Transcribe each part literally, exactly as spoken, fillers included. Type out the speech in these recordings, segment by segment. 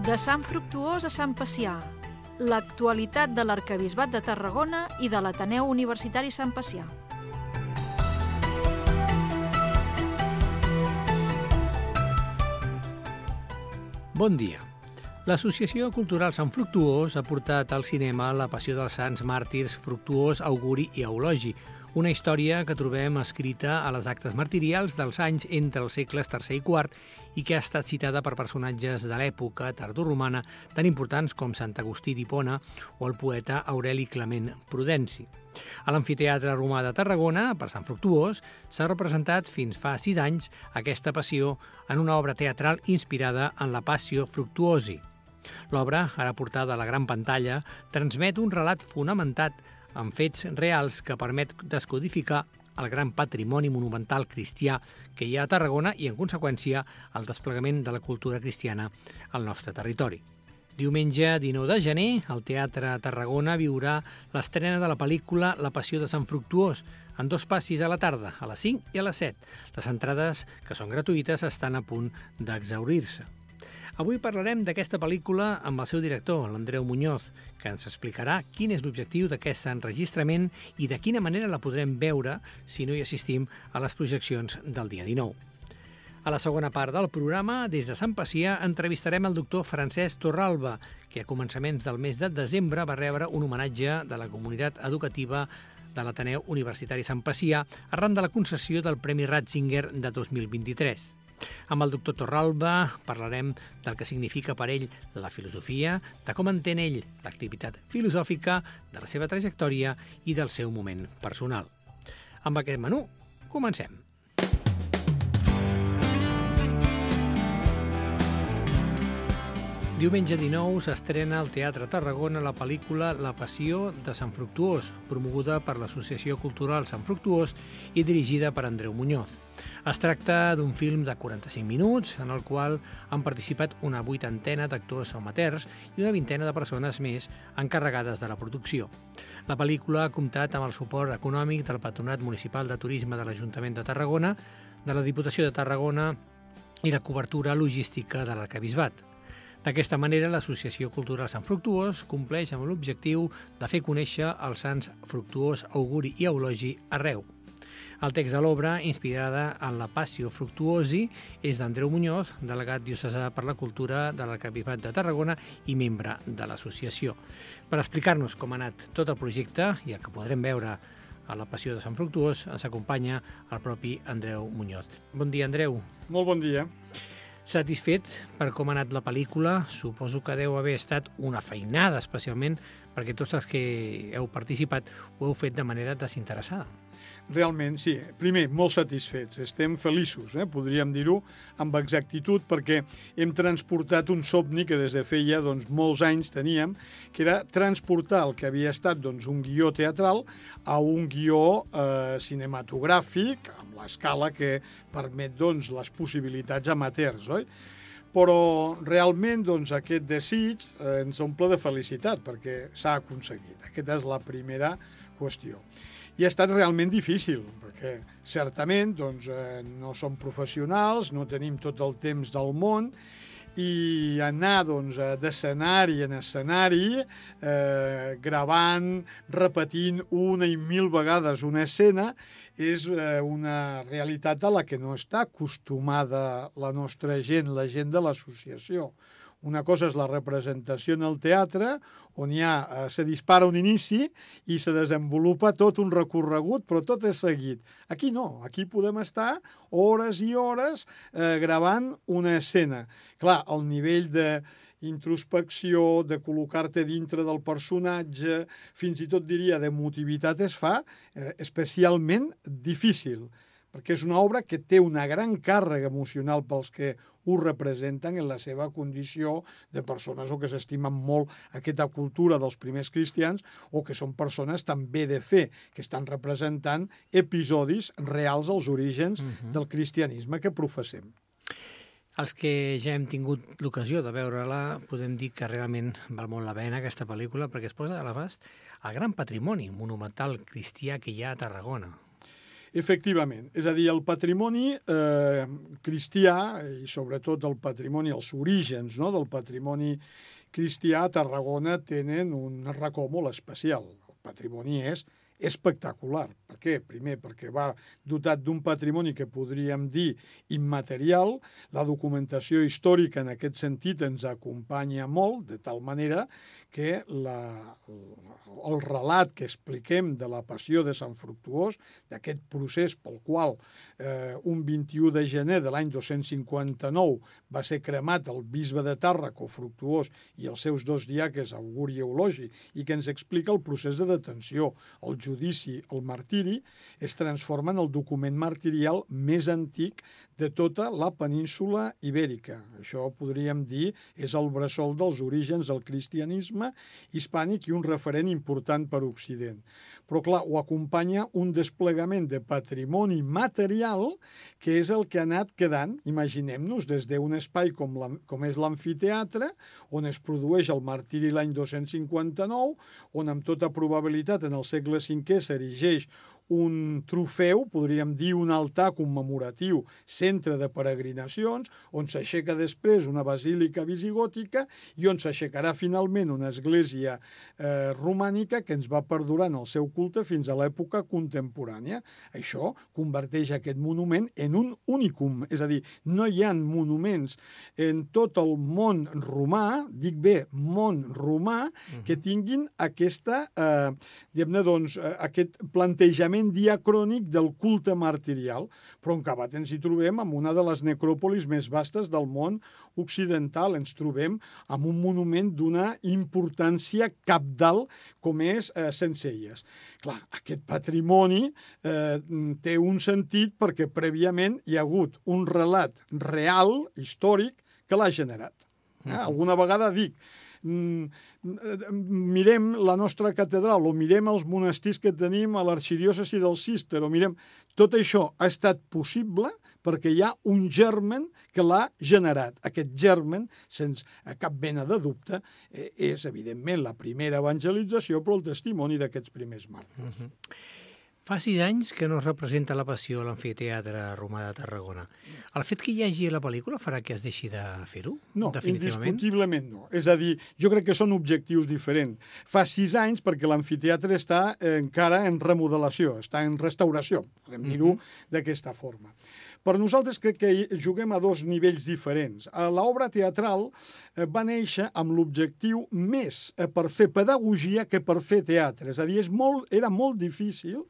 De Sant Fructuós a Sant Pacià, l'actualitat de l'Arquebisbat de Tarragona i de l'Ateneu Universitari Sant Pacià. Bon dia. L'Associació Cultural Sant Fructuós ha portat al cinema La passió dels sants màrtirs Fructuós, Auguri i Eulogi, una història que trobem escrita a les actes martirials dels anys entre els segles tercer i quart i que ha estat citada per personatges de l'època tardoromana tan importants com Sant Agustí d'Hipona o el poeta Aureli Clement Prudenci. A l'Amfiteatre Romà de Tarragona, per Sant Fructuós, s'ha representat fins fa sis anys aquesta passió en una obra teatral inspirada en la Passio Fructuosi. L'obra, ara portada a la gran pantalla, transmet un relat fonamentat en fets reals que permet descodificar el gran patrimoni monumental cristià que hi ha a Tarragona i, en conseqüència, el desplegament de la cultura cristiana al nostre territori. Diumenge dinou de gener, el Teatre Tarragona viurà l'estrena de la pel·lícula La passió de Sant Fructuós, en dos passis a la tarda, a les cinc i a les set. Les entrades, que són gratuïtes, estan a punt d'exhaurir-se. Avui parlarem d'aquesta pel·lícula amb el seu director, l'Andreu Muñoz, que ens explicarà quin és l'objectiu d'aquest enregistrament i de quina manera la podrem veure si no hi assistim a les projeccions del dia dinou. A la segona part del programa, des de Sant Pacià, entrevistarem el doctor Francesc Torralba, que a començaments del mes de desembre va rebre un homenatge de la comunitat educativa de l'Ateneu Universitari Sant Pacià arran de la concessió del Premi Ratzinger de dos mil vint-i-tres. Amb el doctor Torralba parlarem del que significa per ell la filosofia, de com entén ell l'activitat filosòfica, de la seva trajectòria i del seu moment personal. Amb aquest menú, comencem. Diumenge dinou s'estrena al Teatre Tarragona la pel·lícula La passió de Sant Fructuós, promoguda per l'Associació Cultural Sant Fructuós i dirigida per Andreu Muñoz. Es tracta d'un film de quaranta-cinc minuts en el qual han participat una vuitantena d'actors amateurs i una vintena de persones més encarregades de la producció. La pel·lícula ha comptat amb el suport econòmic del Patronat Municipal de Turisme de l'Ajuntament de Tarragona, de la Diputació de Tarragona i la cobertura logística de l'Arquebisbat. D'aquesta manera, l'Associació Cultural Sant Fructuós compleix amb l'objectiu de fer conèixer els sants Fructuós, Auguri i Eulogi arreu. El text de l'obra, inspirada en la Passio Fructuosi, és d'Andreu Muñoz, delegat diocesà per la cultura de l'Arquebisbat de Tarragona i membre de l'associació. Per explicar-nos com ha anat tot el projecte i el que podrem veure a la Passió de Sant Fructuós, ens acompanya el propi Andreu Muñoz. Bon dia, Andreu. Molt bon dia. Satisfet per com ha anat la pel·lícula? Suposo que deu haver estat una feinada, especialment perquè tots els que heu participat ho heu fet de manera desinteressada. Realment, sí. Primer, molt satisfets. Estem feliços, eh? podríem dir-ho amb exactitud, perquè hem transportat un somni que des de feia doncs, molts anys teníem, que era transportar el que havia estat doncs, un guió teatral a un guió eh, cinematogràfic, amb l'escala que permet doncs, les possibilitats amateurs, oi? Però realment doncs, aquest desig eh, ens omple de felicitat perquè s'ha aconseguit. Aquesta és la primera qüestió. I ha estat realment difícil, perquè certament doncs, eh, no som professionals, no tenim tot el temps del món, i anar doncs, d'escenari en escenari, eh, gravant, repetint una i mil vegades una escena, és eh, una realitat a la que no està acostumada la nostra gent, la gent de l'associació. Una cosa és la representació en el teatre, on hi ha, eh, se dispara un inici i se desenvolupa tot un recorregut, però tot és seguit. Aquí no, aquí podem estar hores i hores eh, gravant una escena. Clar, el nivell de introspecció, de col·locar-te dintre del personatge, fins i tot diria d'emotivitat es fa eh, especialment difícil, perquè és una obra que té una gran càrrega emocional pels que ho representen en la seva condició de persones o que s'estimen molt aquesta cultura dels primers cristians o que són persones també de fe, que estan representant episodis reals als orígens uh-huh. del cristianisme que professem. Els que ja hem tingut l'ocasió de veure-la podem dir que realment val molt la pena aquesta pel·lícula perquè es posa a l'abast el gran patrimoni monumental cristià que hi ha a Tarragona. Efectivament. És a dir, el patrimoni eh, cristià, i sobretot el patrimoni, els orígens, no?, del patrimoni cristià a Tarragona tenen un racó molt especial. El patrimoni és espectacular. Per què? Primer, perquè va dotat d'un patrimoni que podríem dir immaterial. La documentació històrica en aquest sentit ens acompanya molt, de tal manera que la, el relat que expliquem de la passió de Sant Fructuós, d'aquest procés pel qual eh, un vint-i-u de gener de l'any dos-cents cinquanta-nou va ser cremat el bisbe de Tàrraco, Fructuós, i els seus dos diaques, Auguri i Eulogi, i que ens explica el procés de detenció, el judici, el martiri, es transforma en el document martirial més antic de tota la península ibèrica. Això podríem dir és el bressol dels orígens del cristianisme hispànic i un referent important per Occident. Però, clar, ho acompanya un desplegament de patrimoni material que és el que ha anat quedant, imaginem-nos, des d'un espai com, la, com és l'amfiteatre, on es produeix el martiri l'any dos-cents cinquanta-nou, on amb tota probabilitat en el segle cinquè s'erigeix un trofeu, podríem dir un altar commemoratiu, centre de peregrinacions, on s'aixeca després una basílica visigòtica i on s'aixecarà finalment una església eh, romànica que ens va perdurar en el seu culte fins a l'època contemporània. Això converteix aquest monument en un únicum, és a dir, no hi ha monuments en tot el món romà, dic bé, món romà, que tinguin aquesta, eh, diguem-ne, doncs, eh, aquest plantejament diacrònic del culte martirial, però en acabat ens hi trobem amb una de les necròpolis més vastes del món occidental. Ens trobem amb un monument d'una importància cabdal com és eh, Sencelles. Clar, aquest patrimoni eh, té un sentit perquè prèviament hi ha hagut un relat real, històric, que l'ha generat. Eh? Alguna vegada dic, mirem la nostra catedral o mirem els monestirs que tenim a l'arxidiòcesi del Císter o mirem... Tot això ha estat possible perquè hi ha un germen que l'ha generat. Aquest germen, sense cap mena de dubte, és evidentment la primera evangelització, però el testimoni d'aquests primers màrtirs. Uh-huh. Fa sis anys que no es representa la Passió a l'Amfiteatre Romà de Tarragona. El fet que hi hagi la pel·lícula farà que es deixi de fer-ho? No, indiscutiblement no. És a dir, jo crec que són objectius diferents. Fa sis anys perquè l'amfiteatre està encara en remodelació, està en restauració, podem dir-ho d'aquesta forma. Per nosaltres crec que juguem a dos nivells diferents. L'obra teatral va néixer amb l'objectiu més per fer pedagogia que per fer teatre. És a dir, és molt, era molt difícil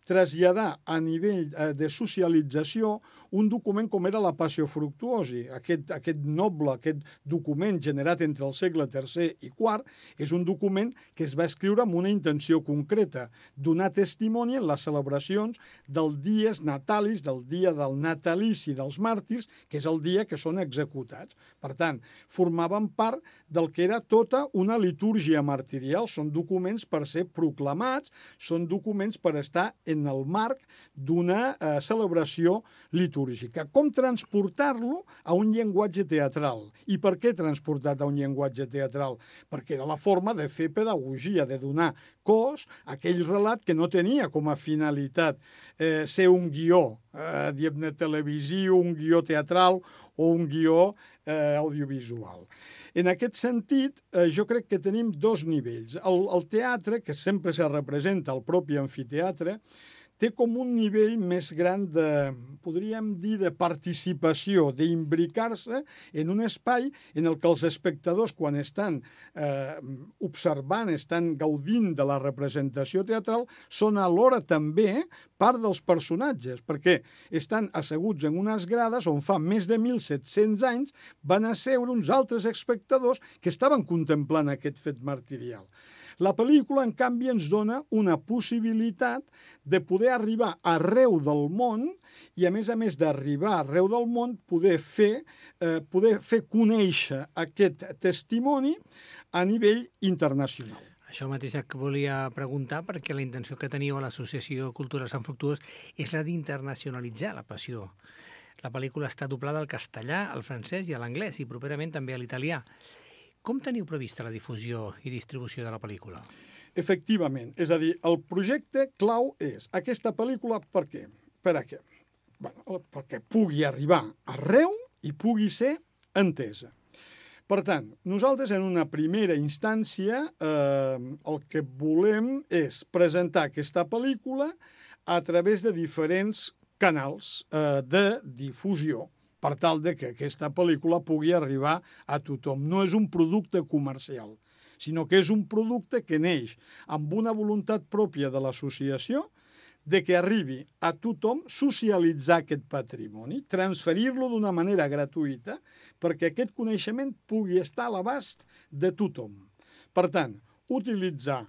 traslladar a nivell de socialització un document com era la Passio Fructuosi. Aquest, aquest noble, aquest document generat entre el segle tercer i quart, és un document que es va escriure amb una intenció concreta, donar testimoni en les celebracions del dies natalis, del dia del natalici dels màrtirs, que és el dia que són executats. Per tant, formaven part del que era tota una litúrgia martirial. Són documents per ser proclamats, són documents per estar en el marc d'una eh, celebració litúrgica. Com transportar-lo a un llenguatge teatral? I per què transportat a un llenguatge teatral? Perquè era la forma de fer pedagogia, de donar cos a aquell relat que no tenia com a finalitat eh, ser un guió, eh, diguem-ne televisiu, un guió teatral o un guió eh, audiovisual. En aquest sentit, eh, jo crec que tenim dos nivells. El, el teatre, que sempre se representa al propi amfiteatre, té com un nivell més gran de, podríem dir, de participació, d'imbricar-se en un espai en el que els espectadors, quan estan eh, observant, estan gaudint de la representació teatral, són alhora també part dels personatges, perquè estan asseguts en unes grades on fa més de mil set-cents anys van asseure uns altres espectadors que estaven contemplant aquest fet martirial. La pel·lícula, en canvi, ens dona una possibilitat de poder arribar arreu del món i, a més a més d'arribar arreu del món, poder fer, eh, poder fer conèixer aquest testimoni a nivell internacional. Això mateix que volia preguntar, perquè la intenció que teniu a l'Associació Cultural Sant Fructuós és la d'internacionalitzar la Passió. La pel·lícula està doblada al castellà, al francès i a l'anglès, i properament també a l'italià. Com teniu prevista la difusió i distribució de la pel·lícula? Efectivament, és a dir, el projecte clau és aquesta pel·lícula, per què? per a què? Bueno, perquè pugui arribar arreu i pugui ser entesa. Per tant, nosaltres en una primera instància eh, el que volem és presentar aquesta pel·lícula a través de diferents canals eh, de difusió per tal de que aquesta pel·lícula pugui arribar a tothom. No és un producte comercial, sinó que és un producte que neix amb una voluntat pròpia de l'associació de que arribi a tothom socialitzar aquest patrimoni, transferir-lo d'una manera gratuïta perquè aquest coneixement pugui estar a l'abast de tothom. Per tant, utilitzar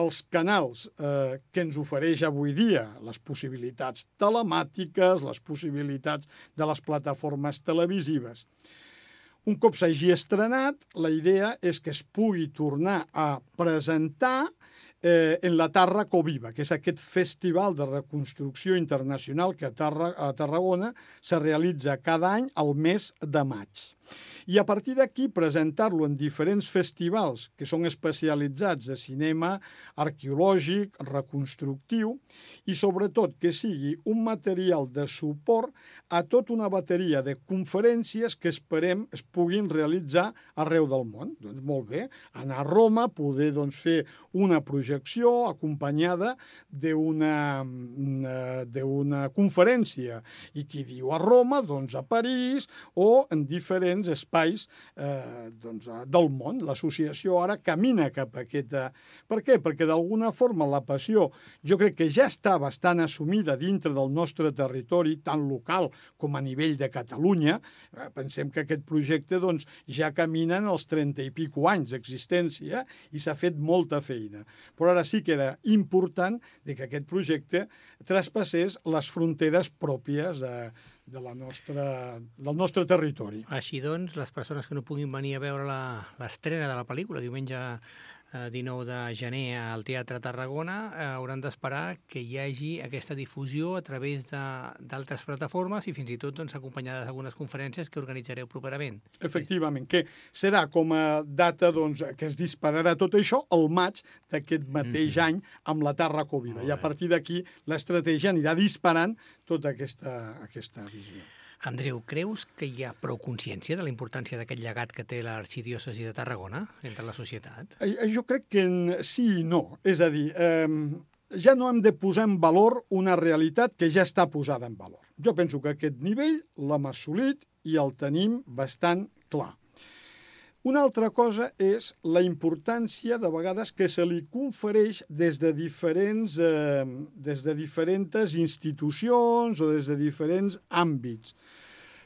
els canals eh, que ens ofereix avui dia, les possibilitats telemàtiques, les possibilitats de les plataformes televisives. Un cop s'hagi estrenat, la idea és que es pugui tornar a presentar eh, en la Tàrraco Viva, que és aquest festival de reconstrucció internacional que a, Tarra, a Tarragona se realitza cada any al mes de maig. I a partir d'aquí presentar-lo en diferents festivals que són especialitzats de cinema arqueològic, reconstructiu i sobretot que sigui un material de suport a tota una bateria de conferències que esperem es puguin realitzar arreu del món. Doncs molt bé, anar a Roma, poder doncs, fer una projecció acompanyada d'una d'una conferència. I qui diu a Roma, doncs a París o en diferents espais espais eh, doncs, del món. L'associació ara camina cap a aquesta... Per què? Perquè d'alguna forma la passió jo crec que ja està bastant assumida dintre del nostre territori, tant local com a nivell de Catalunya. Eh, pensem que aquest projecte doncs, ja camina en els trenta i pico anys d'existència i s'ha fet molta feina. Però ara sí que era important que aquest projecte traspassés les fronteres pròpies de de la nostra, del nostre territori. Així doncs, les persones que no puguin venir a veure l'estrena de la pel·lícula diumenge eh, dinou de gener al Teatre Tarragona eh, hauran d'esperar que hi hagi aquesta difusió a través d'altres plataformes i fins i tot doncs, acompanyades d'algunes conferències que organitzareu properament. Efectivament, que serà com a data doncs, que es dispararà tot això el maig d'aquest mateix mm-hmm. any amb la Tàrraco Viva. I a partir d'aquí l'estratègia anirà disparant tota aquesta, aquesta visió. Andreu, creus que hi ha prou consciència de la importància d'aquest llegat que té l'arxidiòcesi de Tarragona entre la societat? Jo crec que sí i no. És a dir, eh, ja no hem de posar en valor una realitat que ja està posada en valor. Jo penso que aquest nivell l'hem assolit i el tenim bastant clar. Una altra cosa és la importància, de vegades, que se li confereix des de diferents, eh, des de diferents institucions o des de diferents àmbits.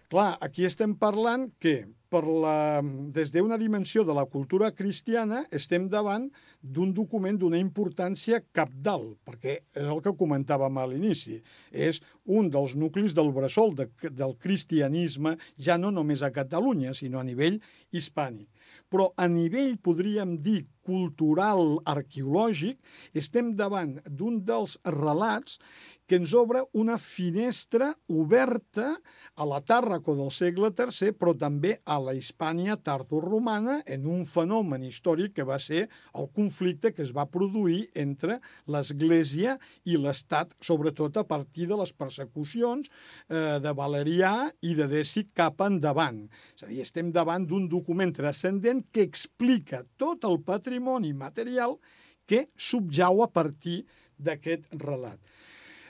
Clar, aquí estem parlant que per la, des d'una dimensió de la cultura cristiana estem davant d'un document d'una importància cabdal, perquè és el que comentàvem a l'inici. És un dels nuclis del bressol de, del cristianisme, ja no només a Catalunya, sinó a nivell hispànic. Però a nivell, podríem dir, cultural, arqueològic, estem davant d'un dels relats que ens obre una finestra oberta a la Tàrraco del segle tercer, però també a la Hispània tardoromana en un fenomen històric que va ser el conflicte que es va produir entre l'Església i l'Estat, sobretot a partir de les persecucions eh, de Valerià i de Deci cap endavant. És a dir, estem davant d'un document transcendent que explica tot el patrimoni material que subjau a partir d'aquest relat.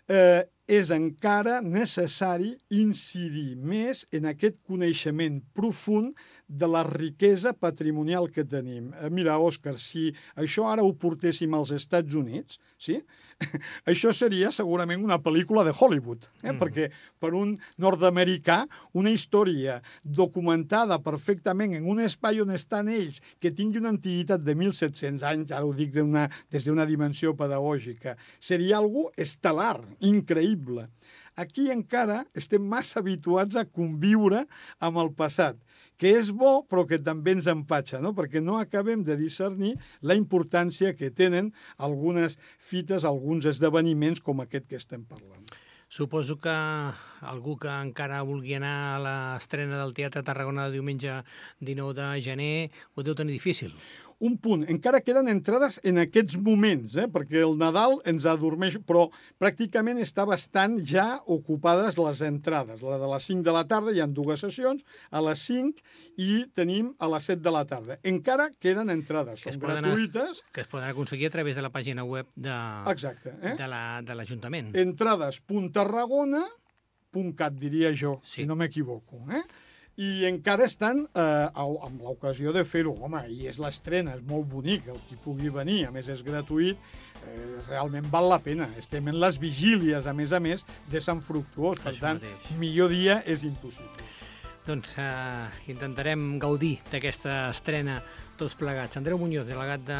Eh, és encara necessari incidir més en aquest coneixement profund de la riquesa patrimonial que tenim. Eh, mira, Òscar, si això ara ho portéssim als Estats Units, sí? Això seria segurament una pel·lícula de Hollywood, eh? mm. perquè per un nord-americà una història documentada perfectament en un espai on estan ells, que tingui una antiguitat de mil set-cents anys, ara ho dic d'una, des d'una dimensió pedagògica, seria algo estel·lar, increïble. Aquí encara estem massa habituats a conviure amb el passat, que és bo però que també ens empatxa, no? Perquè no acabem de discernir la importància que tenen algunes fites, alguns esdeveniments com aquest que estem parlant. Suposo que algú que encara vulgui anar a l'estrena del Teatre Tarragona de diumenge dinou de gener ho deu tenir difícil. un punt. Encara queden entrades en aquests moments, eh? perquè el Nadal ens adormeix, però pràcticament està bastant ja ocupades les entrades. La de les cinc de la tarda, hi ha dues sessions, a les cinc i tenim a les set de la tarda. Encara queden entrades, són gratuïtes. Que es poden aconseguir a través de la pàgina web de, Exacte, eh? de l'Ajuntament. La, entrades punt tarragona punt cat, diria jo, sí. Si no m'equivoco. Eh? I encara estan eh, amb l'ocasió de fer-ho. Home, i és l'estrena, és molt bonic, el qui pugui venir, a més és gratuït, eh, realment val la pena. Estem en les vigílies, a més a més, de Sant Fructuós, per Això tant, mateix. Millor dia és impossible. Doncs eh, intentarem gaudir d'aquesta estrena tots plegats. Andreu Muñoz, delegat de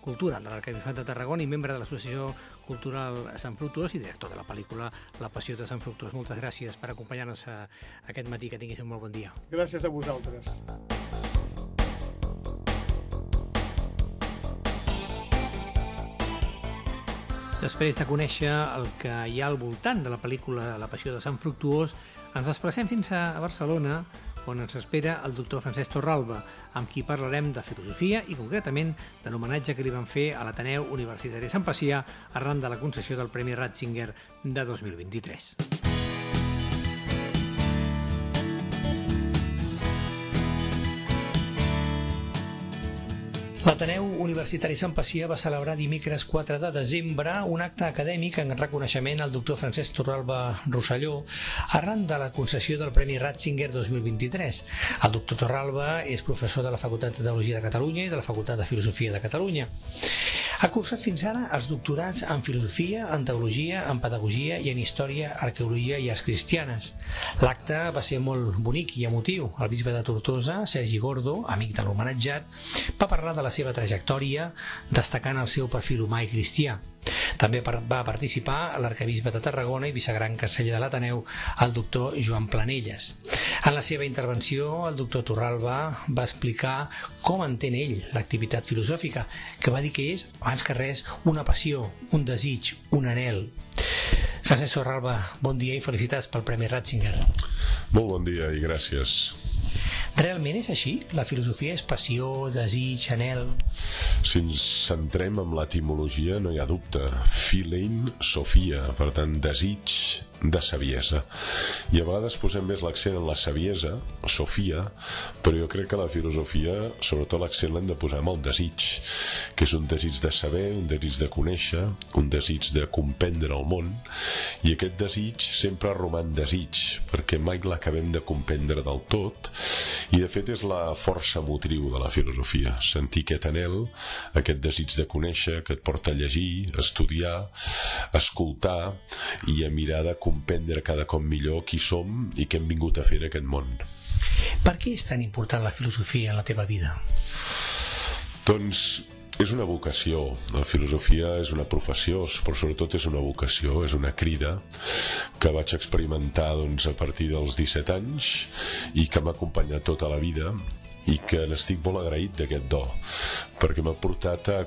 Cultura de l'Arquebisbat de Tarragona i membre de l'Associació Cultural Sant Fructuós i director de la pel·lícula La Passió de Sant Fructuós. Moltes gràcies per acompanyar-nos aquest matí. Que tinguis un molt bon dia. Gràcies a vosaltres. Després de conèixer el que hi ha al voltant de la pel·lícula La Passió de Sant Fructuós, ens desplacem fins a Barcelona, on ens espera el doctor Francesc Torralba, amb qui parlarem de filosofia i concretament de l'homenatge que li van fer a l'Ateneu Universitari Sant Pacià arran de la concessió del Premi Ratzinger de dos mil vint-i-tres. L'Ateneu Universitari Sant Pacià va celebrar dimecres quatre de desembre un acte acadèmic en reconeixement al doctor Francesc Torralba Rosselló arran de la concessió del Premi Ratzinger dos mil vint-i-tres. El doctor Torralba és professor de la Facultat de Teologia de Catalunya i de la Facultat de Filosofia de Catalunya. Ha cursat fins ara els doctorats en Filosofia, en Teologia, en Pedagogia i en Història, Arqueologia i Arts Cristianes. L'acte va ser molt bonic i emotiu. El bisbe de Tortosa, Sergi Gordo, amic de l'homenatjat, va parlar de la seva trajectòria, destacant el seu perfil humà i cristià. També va participar l'arquebisbe de Tarragona i vicegran canceller de l'Ateneu, el doctor Joan Planelles. En la seva intervenció, el doctor Torralba va explicar com entén ell l'activitat filosòfica, que va dir que és, abans que res, una passió, un desig, un anhel. Francesc Torralba, bon dia i felicitats pel Premi Ratzinger. Molt bon dia i gràcies. Realment és així? La filosofia és passió, desig, anhel? Si ens centrem en l'etimologia, no hi ha dubte. Philein, Sofia, per tant, desig de saviesa. I a vegades posem més l'accent en la saviesa, Sofia, però jo crec que la filosofia, sobretot l'accent l'hem de posar en el desig, que és un desig de saber, un desig de conèixer, un desig de comprendre el món, i aquest desig sempre roman desig, perquè mai l'acabem de comprendre del tot, i de fet és la força motriu de la filosofia, sentir aquest anhel, aquest desig de conèixer, que et porta a llegir, a estudiar, a escoltar i a mirar de comprendre cada cop millor qui som i què hem vingut a fer en aquest món. Per què és tan important la filosofia en la teva vida? Doncs és una vocació. La filosofia és una professió, però sobretot és una vocació, és una crida que vaig experimentar doncs, a partir dels disset anys i que m'ha acompanyat tota la vida i que n'estic molt agraït d'aquest do, perquè m'ha portat a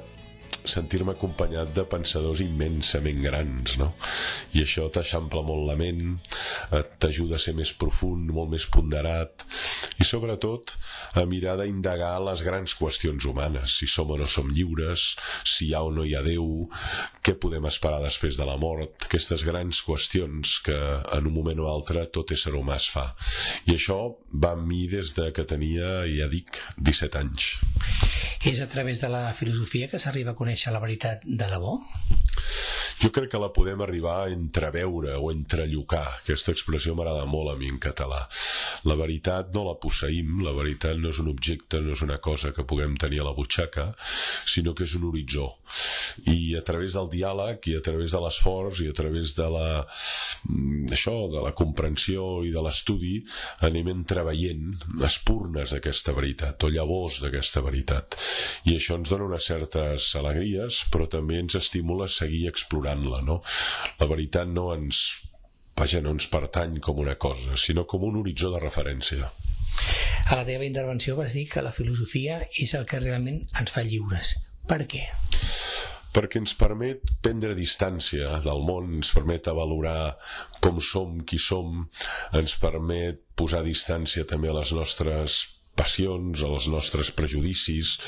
sentir-me acompanyat de pensadors immensament grans, no? I això t'eixampla molt la ment, t'ajuda a ser més profund, molt més ponderat, i sobretot a mirar d'indagar les grans qüestions humanes, si som o no som lliures, si hi ha o no hi ha Déu, què podem esperar després de la mort, aquestes grans qüestions que en un moment o altre tot ésser humà es fa. I això va amb mi des de que tenia, ja dic, disset anys. És a través de la filosofia que s'arriba a conèixer la veritat de debò? Jo crec que la podem arribar a entreveure o entrellocar. Aquesta expressió m'agrada molt a mi en català. La veritat no la posseïm, la veritat no és un objecte, no és una cosa que puguem tenir a la butxaca, sinó que és un horitzó. I a través del diàleg, i a través de l'esforç, i a través de la això, de la comprensió i de l'estudi, anem entreveient espurnes d'aquesta veritat, o llavors d'aquesta veritat. I això ens dona unes certes alegries, però també ens estimula a seguir explorant-la, no? La veritat no ens, vaja, no ens pertany com una cosa, sinó com un horitzó de referència. A la teva intervenció vas dir que la filosofia és el que realment ens fa lliures. Per què? Perquè ens permet prendre distància del món, ens permet valorar com som, qui som, ens permet posar distància també a les nostres passions, als nostres prejudicis.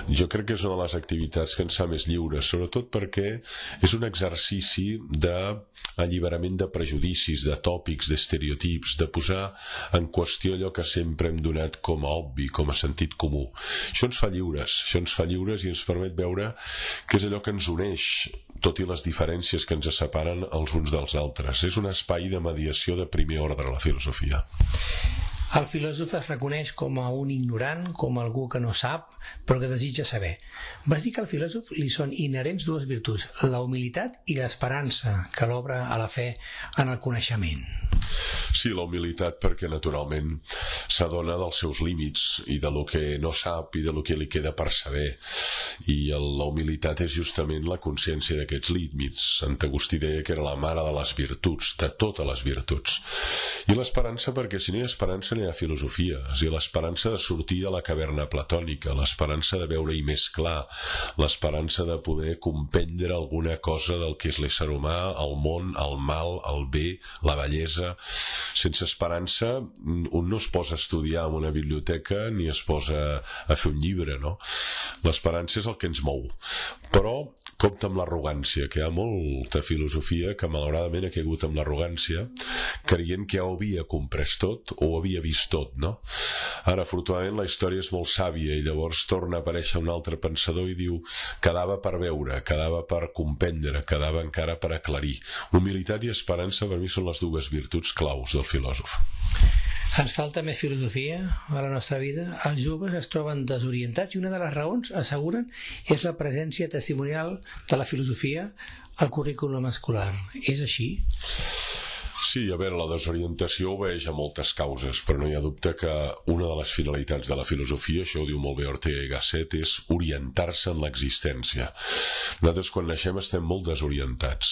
Jo crec que és una de les activitats que ens fa més lliures, sobretot perquè és un exercici d'alliberament de prejudicis, de tòpics, d'estereotips, de posar en qüestió allò que sempre hem donat com a obvi, com a sentit comú. Això ens fa lliures, això ens fa lliures i ens permet veure que és allò que ens uneix, tot i les diferències que ens separen els uns dels altres. És un espai de mediació de primer ordre, la filosofia. El filòsof es reconeix com a un ignorant, com algú que no sap, però que desitja saber. Vas dir que al filòsof li són inherents dues virtuts, la humilitat i l'esperança, que l'obre a la fe en el coneixement. Sí, la humilitat perquè naturalment s'adona dels seus límits i de lo que no sap i de lo que li queda per saber. I la humilitat és justament la consciència d'aquests límits. Sant Agustí deia que era la mare de les virtuts, de totes les virtuts. I l'esperança perquè si no hi ha esperança no hi ha filosofia. És a dir, l'esperança de sortir de la caverna platònica, l'esperança de veure-hi més clar, l'esperança de poder comprendre alguna cosa del que és l'ésser humà, el món, el mal, el bé, la bellesa. Sense esperança un no es posa a estudiar en una biblioteca ni es posa a fer un llibre, no? L'esperança és el que ens mou. Però compta amb l'arrogància, que hi ha molta filosofia que malauradament ha caigut amb l'arrogància, creient que ja ho havia comprès tot o ho havia vist tot, no? Ara, afortunadament, la història és molt sàvia i llavors torna a aparèixer un altre pensador i diu quedava per veure, quedava per comprendre, quedava encara per aclarir. Humilitat i esperança per mi són les dues virtuts claus del filòsof. Ens falta més filosofia a la nostra vida. Els joves es troben desorientats i una de les raons, asseguren, és la presència testimonial de la filosofia al currículum escolar. És així? Sí, a veure, la desorientació obeeix a moltes causes, però no hi ha dubte que una de les finalitats de la filosofia, això ho diu molt bé Ortega y Gasset, és orientar-se en l'existència. Nosaltres quan naixem estem molt desorientats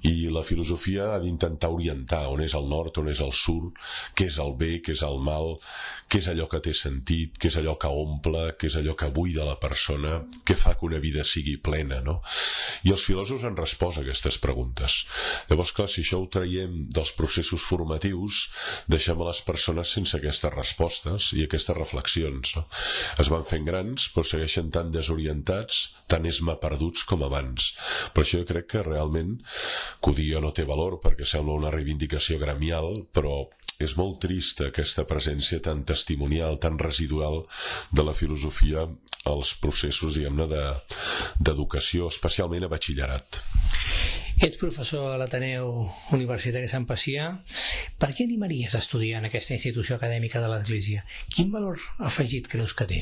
i la filosofia ha d'intentar orientar on és el nord, on és el sud, què és el bé, què és el mal, què és allò que té sentit, què és allò que omple, què és allò que buida la persona, què fa que una vida sigui plena, no? I els filòsofs han respost a aquestes preguntes. Llavors, clar, si això ho traiem dels processos formatius, deixem a les persones sense aquestes respostes i aquestes reflexions, no? Es van fent grans, però segueixen tan desorientats, tan esmaperduts com abans. Per això jo crec que realment, que ho digui jo no té valor, perquè sembla una reivindicació gremial, però és molt trista aquesta presència tan testimonial, tan residual de la filosofia als processos, diguem-ne, d'educació, especialment a batxillerat. Ets professor a l'Ateneu Universitari Sant Pacià. Per què animaries a estudiar en aquesta institució acadèmica de l'Església? Quin valor afegit creus que té?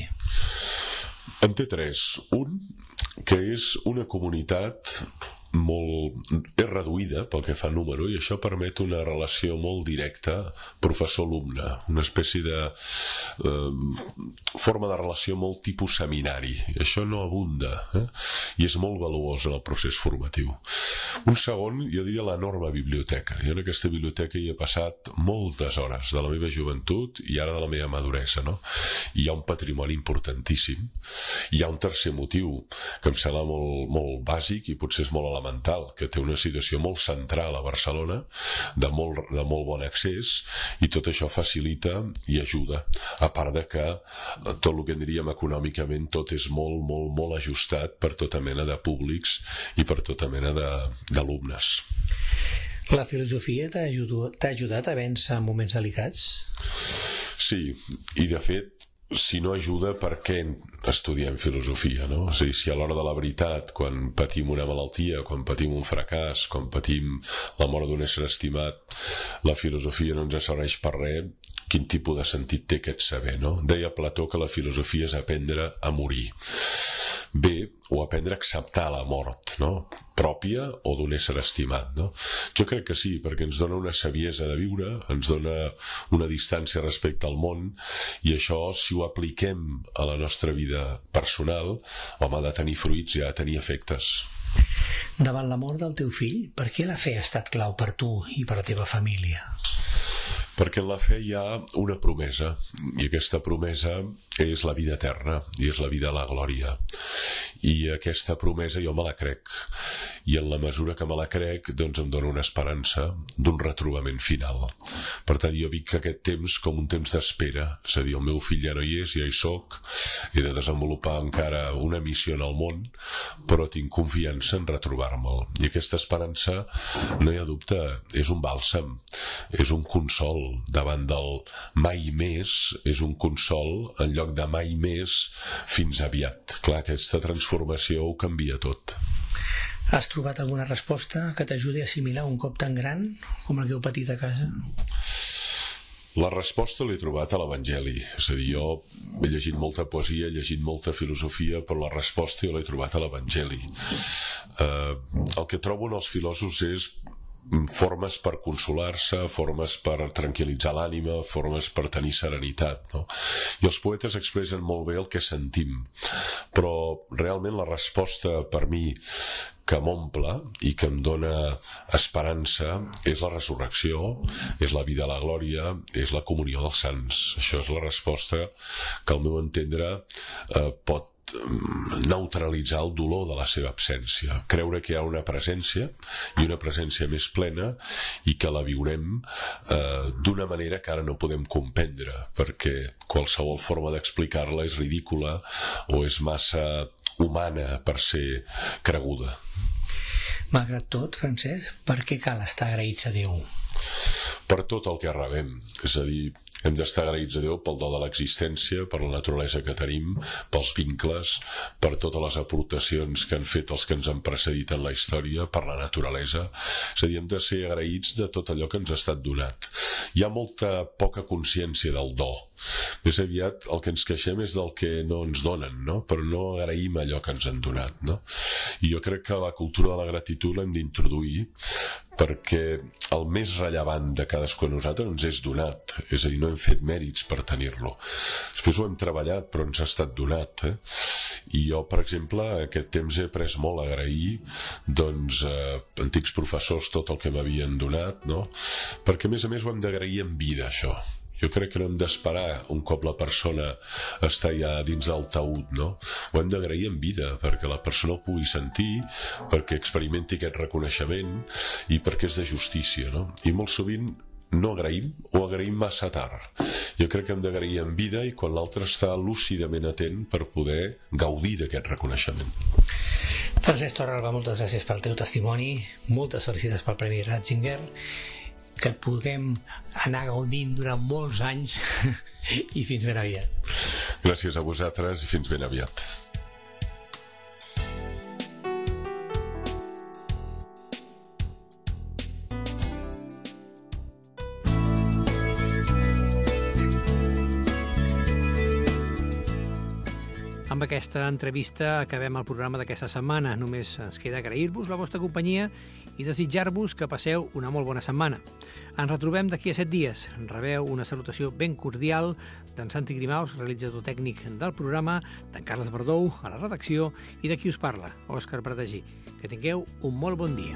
En té tres. Un, que és una comunitat molt... és reduïda pel que fa a número i això permet una relació molt directa professor-alumne, una espècie de eh, forma de relació molt tipus seminari. I això no abunda, eh? I és molt valuós en el procés formatiu. Un segon, jo diria l'enorme biblioteca. Jo en aquesta biblioteca hi he passat moltes hores de la meva joventut i ara de la meva maduresa, no? I hi ha un patrimoni importantíssim. Hi ha un tercer motiu que em sembla molt, molt bàsic i potser és molt elemental, que té una situació molt central a Barcelona, de molt, de molt bon accés, i tot això facilita i ajuda. A part de que tot el que en diríem econòmicament tot és molt, molt, molt ajustat per tota mena de públics i per tota mena de d'alumnes. La filosofia t'ha ajudat, t'ha ajudat a vèncer en moments delicats? Sí, i de fet, si no ajuda, per què estudiem filosofia, no? És a dir, si a l'hora de la veritat, quan patim una malaltia, quan patim un fracàs, quan patim la mort d'un ésser estimat, la filosofia no ens serveix per res, quin tipus de sentit té aquest saber, no? Deia Plató que la filosofia és aprendre a morir. Bé, o aprendre a acceptar la mort, no? Pròpia o d'un ésser estimat, no? Jo crec que sí, perquè ens dona una saviesa de viure, ens dona una distància respecte al món, i això, si ho apliquem a la nostra vida personal, home, ha de tenir fruits i ha de tenir efectes. Davant la mort del teu fill, per què la fe ha estat clau per tu i per la teva família? Perquè en la fe hi ha una promesa, i aquesta promesa és la vida eterna, i és la vida a la glòria. I aquesta promesa jo me la crec. i en la mesura que me la crec, doncs em dona una esperança d'un retrobament final. Per tant, jo vic aquest temps com un temps d'espera, és a dir, el meu fill ja no hi és, ja hi soc, he de desenvolupar encara una missió en el món, però tinc confiança en retrobar-me'l. I aquesta esperança, no hi ha dubte, és un bàlsam, és un consol davant del mai més, és un consol en lloc de mai més fins aviat. Clar, aquesta transformació ho canvia tot. Has trobat alguna resposta que t'ajudi a assimilar un cop tan gran com el que heu patit a casa? La resposta l'he trobat a l'Evangeli. És a dir, jo he llegit molta poesia, he llegit molta filosofia, però la resposta jo l'he trobat a l'Evangeli. Eh, el que trobo en els filòsofs és formes per consolar-se, formes per tranquil·litzar l'ànima, formes per tenir serenitat, no? I els poetes expressen molt bé el que sentim, però realment la resposta per mi que m'omple i que em dona esperança és la resurrecció, és la vida a la glòria, és la comunió dels sants. Això és la resposta que al meu entendre eh, pot neutralitzar el dolor de la seva absència, creure que hi ha una presència i una presència més plena i que la viurem eh, d'una manera que ara no podem comprendre, perquè qualsevol forma d'explicar-la és ridícula o és massa humana per ser creguda. Malgrat tot, Francesc, per què cal estar agraïts a Déu? Per tot el que rebem, és a dir, hem d'estar agraïts a Déu pel do de l'existència, per la naturalesa que tenim, pels vincles, per totes les aportacions que han fet els que ens han precedit en la història, per la naturalesa. És a dir, hem de ser agraïts de tot allò que ens ha estat donat. Hi ha molta poca consciència del do. Més aviat el que ens queixem és del que no ens donen, no? Però no agraïm allò que ens han donat, no? I jo crec que la cultura de la gratitud l'hem d'introduir perquè el més rellevant de cadascú de nosaltres ens és donat, és a dir, no hem fet mèrits per tenir-lo. Després ho hem treballat, però ens ha estat donat, eh? I jo, per exemple, aquest temps he après molt a agrair doncs, eh, antics professors tot el que m'havien donat, no? Perquè, a més a més, ho hem d'agrair en vida, això. Jo crec que no hem d'esperar un cop la persona està ja dins del taüt, no? Ho hem d'agrair en vida, perquè la persona ho pugui sentir, perquè experimenti aquest reconeixement i perquè és de justícia, no? I molt sovint no agraïm o agraïm massa tard. Jo crec que hem d'agrair en vida i quan l'altre està lúcidament atent per poder gaudir d'aquest reconeixement. Francesc Torralba, moltes gràcies pel teu testimoni, moltes felicitats pel Premi Ratzinger, que et puguem anar gaudint durant molts anys i fins ben aviat. Gràcies a vosaltres i fins ben aviat. Amb aquesta entrevista acabem el programa d'aquesta setmana. Només ens queda agrair-vos la vostra companyia i desitjar-vos que passeu una molt bona setmana. Ens retrobem d'aquí a set dies. Rebeu una salutació ben cordial d'en Santi Grimaus, realitzador tècnic del programa, d'en Carles Verdou, a la redacció, i de qui us parla, Òscar Pratagí. Que tingueu un molt bon dia.